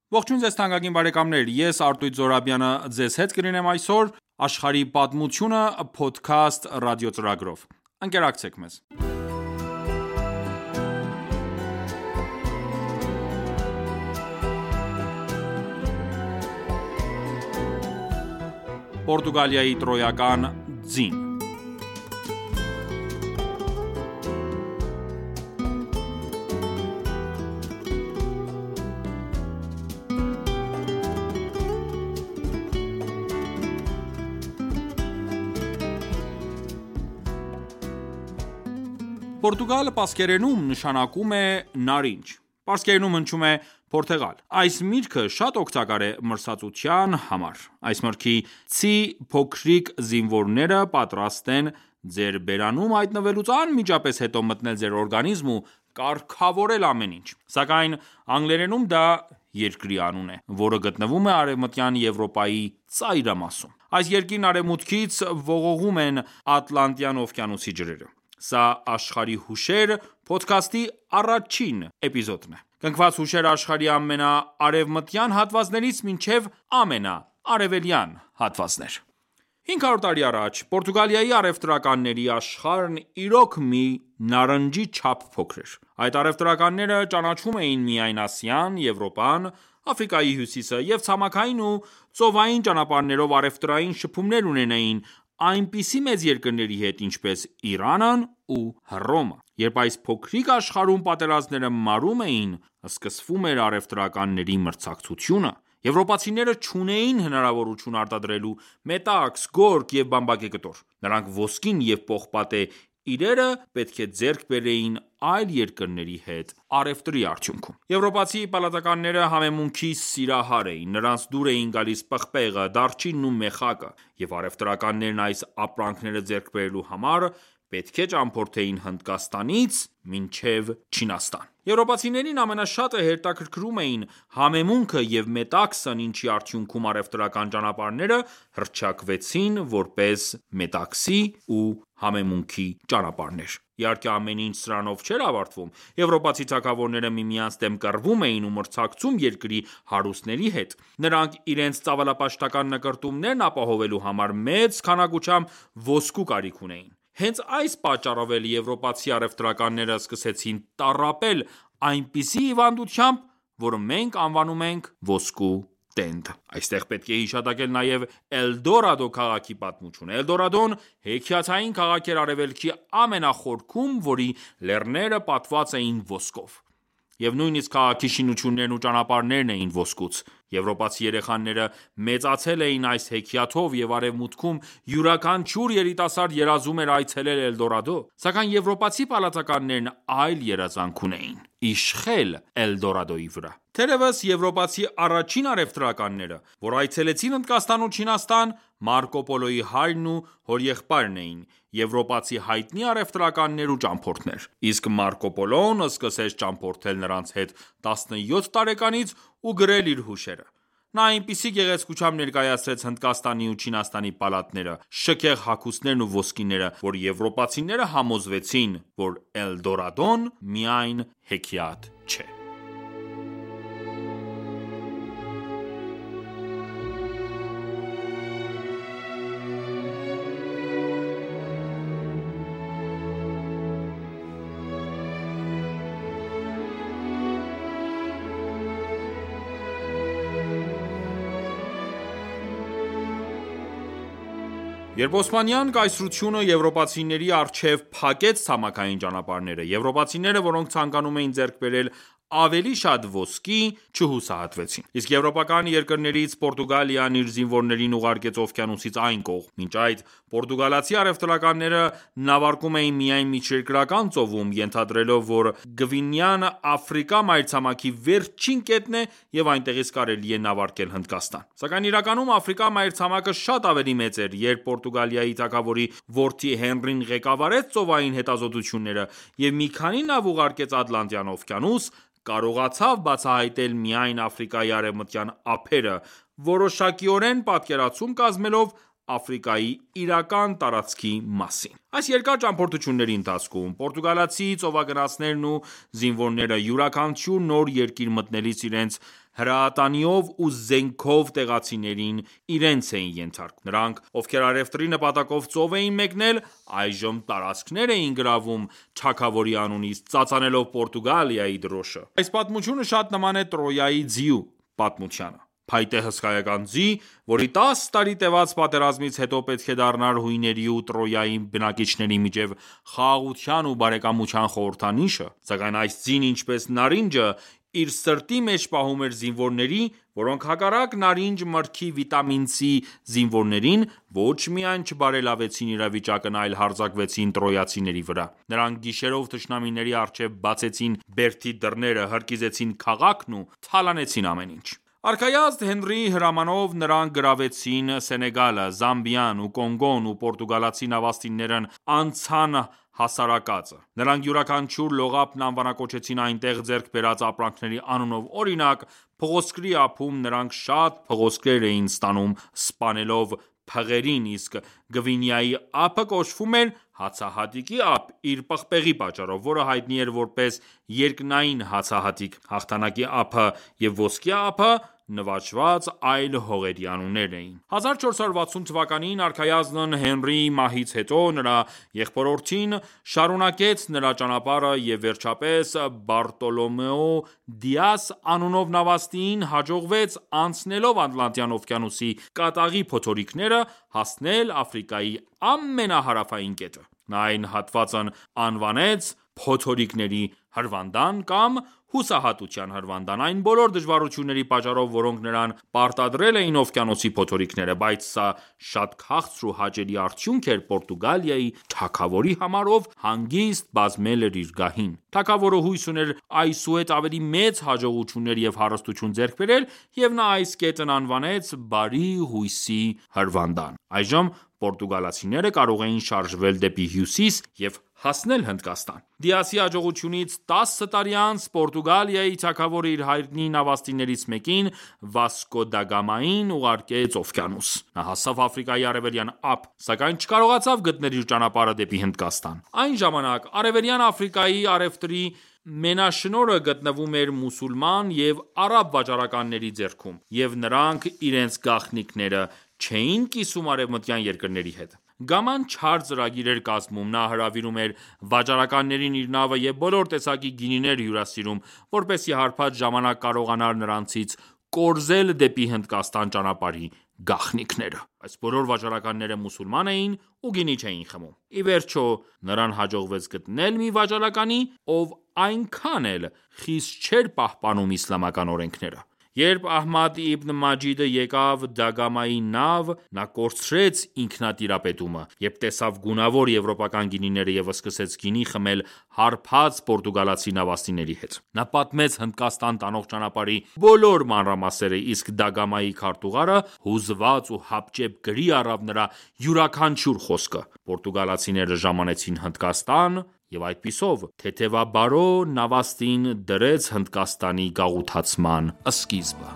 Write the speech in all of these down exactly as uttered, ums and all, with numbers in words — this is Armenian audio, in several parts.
Ողջույն ձեզ թանկագին բարեկամներ, ես Արտույտ Զոհրաբյանը ձեզ հետ կլինեմ այսօր «Աշխարհի պատմությունը» փոդքասթ ռադիոծրագրով։ Ընկերակցեք մեզ։ Պորտուգալիայի տրոյական ձին Պորտուգալ պարսկերենում նշանակում է նարինջ, պարսկերենում հնչում է փորթեղալ։ Այս միրգը շատ օգտակար է մրսածության համար։ Այս մրգի ցի փոքրիկ զինվորները պատրաստ են ձեր բերանում հայտնվելուց անմիջապես հետո մտնել ձեր օրգանիզմ ու կարգավորել ամեն ինչ։ Սակայն անգլերենում դա երկրի անուն է, որը գտնվում է Արևմտյան Եվրոպայի ծայրամասում։ Այս երկիրն արևմուտքից ողողում են Ատլանտյան օվկիանոսի ջրերը։ Սա «Աշխարհի հուշեր» փոդքասթի առաջին էպիզոդն է։ Կնքված հուշեր աշխարհի ամենաարևմտյան հատվածներից մինչև ամենաարևելյան հատվածներ։ հինգ հարյուր տարի առաջ Պորտուգալիայի առևտրականների աշխարհն իրոք մի նարնջի չափ փոքր էր։ Այդ առևտրականները ճանաչում էին միայն Ասիան, Եվրոպան, Աֆրիկայի հյուսիսը և ցամաքային ու ծովային ճանապարհներով առևտրային շփումներ ունենային այնպիսի մեծ երկրների հետ, ինչպես Իրանն ու Հռոմը։ Երբ այս փոքրիկ աշխարհում պատերազմները մարում էին, սկսվում էր առևտրականների մրցակցությունը։ Եվրոպացիները չունեին հնարավորություն արտադրելու մետաքս, գորգ և բամբակե կտոր։ Նրանք ոսկին և պողպատե իրերը պետք է ձեռք բերեին այլ երկրների հետ առևտրի արդյունքում։ Եվրոպացի պալատականները համեմունքի սիրահար էին։ Նրանց դուր էին գալիս պղպեղը, դարչինն ու մեխակը, և առևտրականներն այս ապրանքները ձեռք բերելու համար պետք է ճամփորդեին Հնդկաստանից մինչև Չինաստան։ Եվրոպացիներին ամենաշատը հետաքրքրում էին համեմունքը և մետաքսն, ինչի արդյունքում առևտրական ճանապարհները հռչակվեցին որպես մետաքսի ու համեմունքի ճանապարհներ։ Իհարկե, ամեն ինչ սրանով չէր ավարտվում։ Եվրոպացի թագավորները միմյանց դեմ կռվում էին ու մրցակցում երկրի հարուստների հետ։ Նրանք իրենց ծավալապաշտական նկրտումներն ապահովելու համար մեծ քանակությամբ ոսկու կարիք ունեին։ Հենց այս պատճառով էլ եվրոպացի առևտրականները սկսեցին տառապել այնպիսի հիվանդությամբ, որը մենք անվանում ենք ոսկու տենդ։ Այստեղ պետք է հիշատակել նաև Էլդորադո քաղաքի պատմությունը։ Էլդորադոն հեքիաթային քաղաք էր արևելքի ամենախորքում, որի լեռները պատված էին ոսկով։ Եվ նույնիսկ քաղաքի շինություններն ու ճանապարհներն էին ոսկուց։ Եվրոպացի երեխաները մեծացել էին այս հեքիաթով, և արևմուտքում յուրաքանչյուր երիտասարդ երազում էր այցելել Էլդորադո։ Սակայն եվրոպացի պալատականներն այլ երազանք ունեին՝ իշխել Էլդորադոյի վրա։ Թերևս եվրոպացի առաջին առևտրականները, որ այցելեցին Հնդկաստան ու Չինաստան, Մարկո Պոլոյի հայրն ու հորեղբայրն էին, եվրոպացի հայտնի առևտրականներ ու ճամփորդներ։ Իսկ Մարկո Պոլոն սկսեց ճամփորդել նրանց հետ տասնյոթ տարեկանից ու գրել իր հուշերը։ Նա այնպիսի գեղեցկությամբ ներկայացրեց Հնդկաստանի ու Չինաստանի պալատները, շքեղ հագուստներն ու ոսկիները, որ եվրոպացիները համոզվեցին, որ Էլդորադոն միայն հեքիաթ չէ։ Երբ Օսմանյան կայսրությունը եվրոպացիների առջև փակեց ցամաքային ճանապարհները, եվրոպացիները, որոնք ցանկանում էին ձեռք բերել ավելի շատ ոսկի, չհուսահատվեցին։ Իսկ եվրոպական երկրներից Պորտուգալիան իր զինվորներին ուղարկեց օվկիանոսից այն կողմ։ Մինչ այդ պորտուգալացի առևտրականները նավարկում էին միայն միջերկրական ծովում, ենթադրելով, որ Գվինեան Աֆրիկա մայրցամաքի վերջին կետն է և այնտեղից կարելի է նավարկել Հնդկաստան։ Սակայն իրականում Աֆրիկա մայրցամաքը շատ ավելի մեծ էր, երբ Պորտուգալիայի թագավորի որդի Հենրին ղեկավարեց ծովային հետազոտությունները և մի քանի նավ ուղարկեց Ատլանտյան օվկիանոս, կարողացավ բացահայտել միայն Աֆրիկայի արևմտյան ափերը, որոշակիորեն պատկերացում կազմելով Աֆրիկայի իրական տարածքի մասին։ Այս երկար ճամփորդությունների ընթացքում պորտուգալացի ծովագնացներն ու զինվորները յուրաքանչյուր նոր երկիր մտնելիս իրենց հրատանիով ու զենքով տեղացիներին իրենց էին ենթարկում: Նրանք, ովքեր առևտրի նպատակով ծով էին մեկնել, այժմ տարածքներ էին գրավում թագավորի անունից, ծածանելով Պորտուգալիայի դրոշը: Այս պատմությունը շատ նման է Տրոյայի ձիու պատմությանը: Փայտե հսկայական ձի, որի տասը տարի տևած պատերազմից հետո պետք է դառնար հույների ու Տրոյայի բնակիչների միջև խաղաղության ու բարեկամության խորհրդանիշը: Սակայն այս ձին, ինչպես նարինջը, իր սրտի մեջ պահում էր զինվորների, որոնք հակառակ նարինջ մրգի վիտամին C զինվորներին, ոչ միայն չբարելավեցին իրավիճակն այլ հարձակվեցին տրոյացիների վրա: Նրանք գիշերով թշնամիների առջև բացեցին բերդի դռները, հրկիզեցին քաղաքն ու թալանեցին ամեն ինչ: Արքայազն Հենրիի հրամանով նրանք գրավեցին Սենեգալը, Զամբիան ու Կոնգոն ու պորտուգալացի նավաստիներն անցան հասարակածը: Նրանք յուրաքանչյուր լողափն անվանակոչեցին այնտեղ ձեռք բերած ապրանքների անունով: Օրինակ, փղոսկրի ափում նրանք շատ փղոսկրեր էին ստանում սպանելով փղերին, իսկ Գվինեայի ափը կոչվում էր հացահատիկի ափ իր պղպեղի պատճառով, որը հայտնի էր որպես երկնային հացահատիկ: Հաղթանակի ափը և ոսկե ափը նվաճված այլ հողերի անուններ էին: հազար չորս հարյուր վաթսուն թվականին արքայազն Հենրիի մահից հետո, նրա եղբորորդին շարունակեց նրա ճանապարհը և վերջապես Բարտոլոմեո Դիաս անունով նավաստիին հաջողվեց անցնելով Ատլանտյան օվկիանոսի կատաղի փոթորիկները, հասնել Աֆրիկայի ամենահարավային կետը: Նա այն հատվածն անվանեց «Փոթորիկների հրվանդան» կամ «Հուսահատության հրվանդան», այն բոլոր դժվարությունների պատճառով, որոնք նրան պարտադրել էին օվկիանոսի փոթորիկները: Բայց սա շատ քաղցր ու հաճելի արդյունք էր Պորտուգալիայի թագավորի համար, ով հանգիստ բազմել էր իր գահին: Թագավորը հույս ուներ այսուհետ ավելի մեծ հաջողություններ և հարստություն ձեռք բերել և նա այս կետն անվանեց «Բարի հույսի հրվանդան»: Այժմ պորտուգալացիները կարող էին շարժվել դեպի հյուսիս և հասնել Հնդկաստան: Դիասի հաջողությունից տասը տարի անց, Պորտուգալիայի թագավորը իր հայրենի նավաստիներից մեկին՝ Վասկո դա Գամային ուղարկեց օվկիանոս: Նա հասավ Աֆրիկայի արևելյան ափ, սակայն չկարողացավ գտնել իր ճանապարհը դեպի Հնդկաստան: Այն ժամանակ Արևելյան Աֆրիկայի առևտրի մենաշնորհը գտնվում էր մուսուլման և արաբ վաճառականների ձեռքում, և նրանք իրենց գաղտնիքները չէին կիսում արևմտյան երկրների հետ: Գաման չար ծրագիր էր կազմում: Նա հրավիրում էր վաճառականներին իր նավը և բոլոր տեսակի գինիներ հյուրասիրում, որպեսզի հարբած ժամանակ կարողանար նրանցից կորզել դեպի Հնդկաստան ճանապարհի գաղտնիքները: Այս բոլոր վաճառականները մուսուլման էին ու գինի չէին խմում: Ի վերջո նրան հաջողվեց գտնել մի վաճառականի, ով այնքան էլ խիստ չէր պահպանում իսլամական օրենքները: Երբ Ահմադ Իբն Մաջիդը եկավ Դագամայի նավ, նա կորցրեց ինքնատիրապետումը, երբ տեսավ գունավոր եվրոպական գինիները և սկսեց գինի խմել հարբած պորտուգալացի նավաստիների հետ: Նա պատմեց Հնդկաստան տանող ճանապարհի բոլոր մանրամասները, իսկ Դագամայի քարտուղարը հուզված ու հապճեպ գրի առավ նրա յուրաքանչյուր խոսքը: Պորտուգալացիները ժամանեցին Հնդկաստան և այդպիսով թեթևաբարո նավաստին դրեց Հնդկաստանի գաղութացման սկիզբը: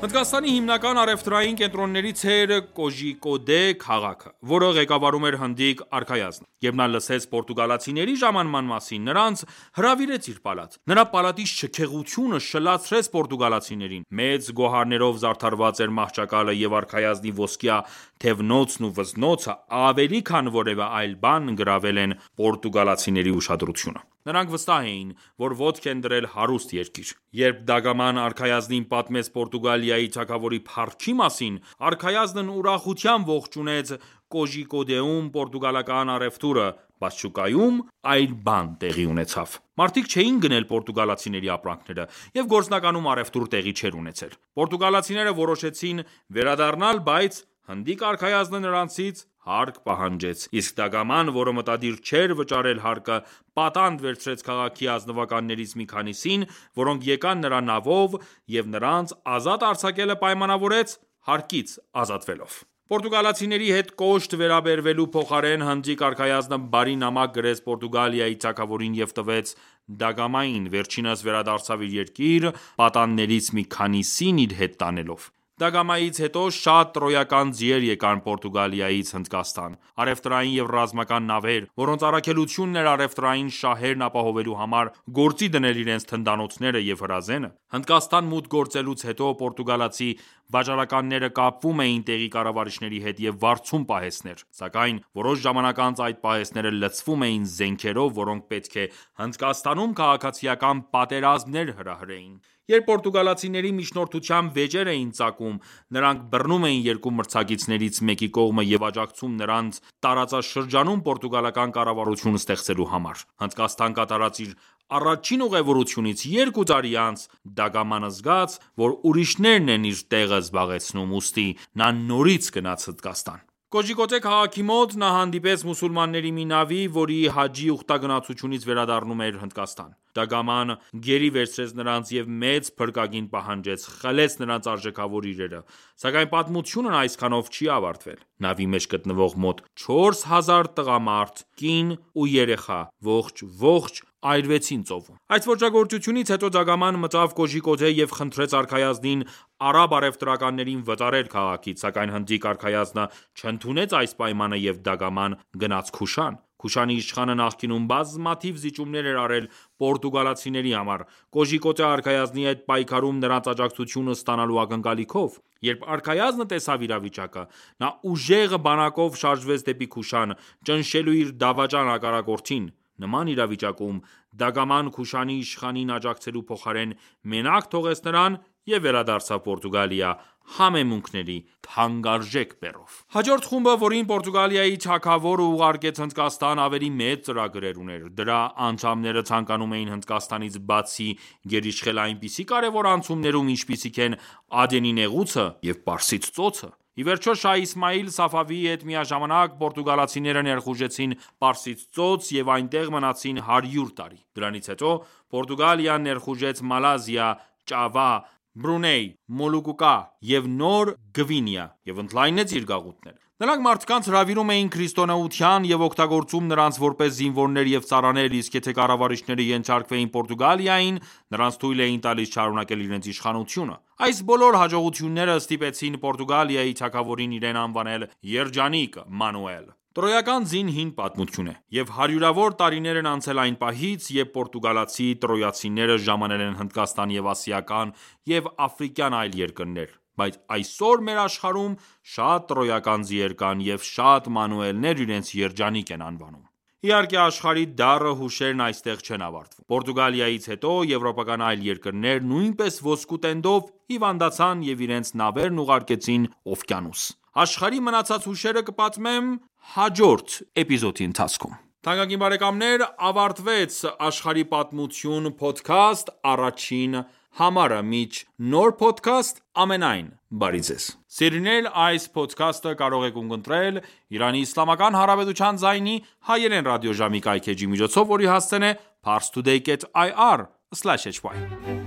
Հնդկաստանի հիմնական առևտրային կենտրոններից էր Կոժիկոդե քաղաքը, որը ղեկավարում էր հնդիկ արքայազնը: Երբ նա լսեց պորտուգալացիների ժամանման մասին, նրանց հրավիրեց իր պալատ: Նրա պալատի շքեղությունը շլացրեց պորտուգալացիներին: Մեծ գոհարներով զարդարված էր մահճակալը և արքայազնի ոսկյա թևնոցն ու վզնոցը ավելի քան որևէ այլ բան գրավել են պորտուգալացիների ուշադրությունը: Նրանք վստահ էին, որ ոտք են դրել հարուստ երկիր: Երբ Դագաման արքայազնին պատմեց Պորտուգալիայի թագավորի փառքի մասին, արքայազնն ուրախությամբ ողջունեց Կոժիկոդեում պորտուգալական առևտուրը, բայց շուկայում այլ բան տեղի ունեցավ: Մարդիկ չէին գնել պորտուգալացիների ապրանքները, և գործնականում առևտուր տեղի չէր ունեցել: Պորտուգալացիները որոշեցին վերադառնալ, բայց հնդիկ արքայազնը նրանցից հարկ պահանջեց: Իսկ Դագաման, որը մտադիր չէր վճարել հարկը, պատանդ վերցրեց քաղաքի ազնվականներից մի քանիսին, որոնք եկան նրա նավով և նրանց ազատ արձակելը պայմանավորեց հարկից ազատվելով: Պորտուգալացիների հետ կոշտ վերաբերվելու փոխարեն հնդիկ արքայազնը բարի նամակ գրեց Պորտուգալիայի թագավորին և տվեց Դագամային, վերջինս վերադարձավ իր երկիր, պատաններից մի քանիսին իր հետ տանելով։ Դագամայից հետո շատ տրոյական ձիեր եկան Պորտուգալիայից Հնդկաստան, առևտրային և ռազմական նավեր, որոնց առաքելությունն էր առևտրային շահերն ապահովելու համար գործի դնել իրենց թնդանոթները և հրազենը։ Հնդկաստան մուտք գործելուց հետո պորտուգալացի վաճառականները կապվում էին տեղի կառավարիչների հետ և վարձում պահեստներ, սակայն որոշ ժամանակ անց այդ պահեստները լցվում էին զենքերով, որոնք պետք է Հնդկաստանում քաղաքացիական պատերազմներ հրահրեին։ Երբ պորտուգալացիների միջնորդությամբ վեճեր էին ծագում, նրանք բռնում էին երկու մրցակիցներից մեկի կողմը և աջակցում նրանց տարածաշրջանում պորտուգալական կառավարություն ստեղծելու համար։ Հնդկաստան կատարած իր առաջին ուղևորությունից երկու տարի անց Դագաման զգաց, որ ուրիշներն են իր տեղը զբաղեցնում, ուստի նա նորից գնաց Հնդկաստան։ Կոժիկոտե քաղաքի մոտ նա հանդիպեց մուսուլմանների մի նավի, որի հաջի ուխտագնացությունից վերադառնում էր Հնդկաստան։ Դագաման գերի վերցրեց նրանց և մեծ փրկագին պահանջեց, խլեց նրանց արժեքավոր իրերը, սակայն պատմությունն այսքանով չի ավարտվել։ Նավի մեջ գտնվող մոտ չորս հազար տղամարդ, կին ու երեխա ողջ-ողջ այրվեցին ծովում։ Այս ոճրագործությունից հետո Դագաման մտավ Կոժիկոտե և խնդրեց արքայազնին արաբ առևտրականներին վտարել քաղաքից, սակայն հնդիկ արքայազնը չընդունեց այս պայմանը և Դագաման գնաց Քուշան։ Քուշանի իշխանը նախկինում բազմաթիվ զիջումներ էր արել պորտուգալացիների համար, Կոժիկոտե արքայազնի հետ պայքարում նրանց աջակցությունը ստանալու ակնկալիքով։ Երբ արքայազնը տեսավ իրավիճակը, նա ուժեղ բանակով շարժվեց դեպի Քուշան՝ ճնշելու իր դավաճան հակառակորդին։ Նման իրավիճակում Դագաման Քուշանի իշխանին աջակցելու փոխարեն մենակ թողեց նրան և վերադարձավ Պորտուգալիա համեմունքների թանկարժեք բեռով։ Հաջորդ խումբը, որին Պորտուգալիայի թագավորը ուղարկեց Հնդկաստան, ավելի մեծ ծրագրեր ուներ։ Դրա անդամները ցանկանում էին Հնդկաստանից բացի գերիշխել այնպիսի կարևոր անցումներում, ինչպիսիք են Ադենի նեղուցը և Պարսից ծոցը։ Ի վերջո, Շահ Իսմայիլ Սաֆավիի հետ միաժամանակ պորտուգալացիները ներխուժեցին Պարսից ծոց և այնտեղ մնացին հարյուր տարի։ Դրանից հետո Պորտուգալիան ներխուժեց Մալազիա, Ճավա, Բրունեյ, Մոլուկկա և Նոր Գվինեա և ընդլայնեց իր գաղութները։ Նրանք մարդկանց հրավիրում էին քրիստոնեության և օգտագործում նրանց որպես զինվորներ և ծառաներ, իսկ եթե կառավարիչները ենթարկվեին Պորտուգալիային, նրանց թույլ էին տալիս շարունակել իրենց իշխանությունը։ Այս բոլոր հաջողությունները ստիպեցին Պորտուգալիայի թագավորին իրեն անվանել Երջանիկ Մանուել։ Տրոյական ձին հին պատմություն է, և հարյուրավոր տարիներ են անցել այն պահից, երբ պորտուգալացի տրոյացիները ժամանել են Հնդկաստան և ասիական և աֆրիկյան այլ երկրներ, բայց այսօր մեր աշխարհում շատ տրոյական ձիեր կան և շատ մանուելներ իրենց երջանիկ են անվանում։ Իհարկե, աշխարհի դառը հուշերն այստեղ չեն ավարտվում։ Պորտուգալիայից հետո եվրոպական այլ երկրներ նույնպես ոսկու տենդով հիվանդացան և իրենց նավերն ուղարկեցին օվկիանոս։ Աշխարհի մնացած հուշերը կպատմեմ հաջորդ էպիզոդի ընթացքում։ Թանկագին բարեկամներ, ավարտվեց «Աշխարհի պատմություն» փոդքասթ առաջին համարը։ Մինչ նոր փոդքասթ, ամենայն բարի ձեզ։ Սիրելիներ, այս փոդքասթը կարող եք ունկնդրել Իրանի Իսլամական Հանրապետության ձայնի հայերեն ռադիոժամի կայքէջի միջոցով, որի հասցեն է parstoday dot i r slash h y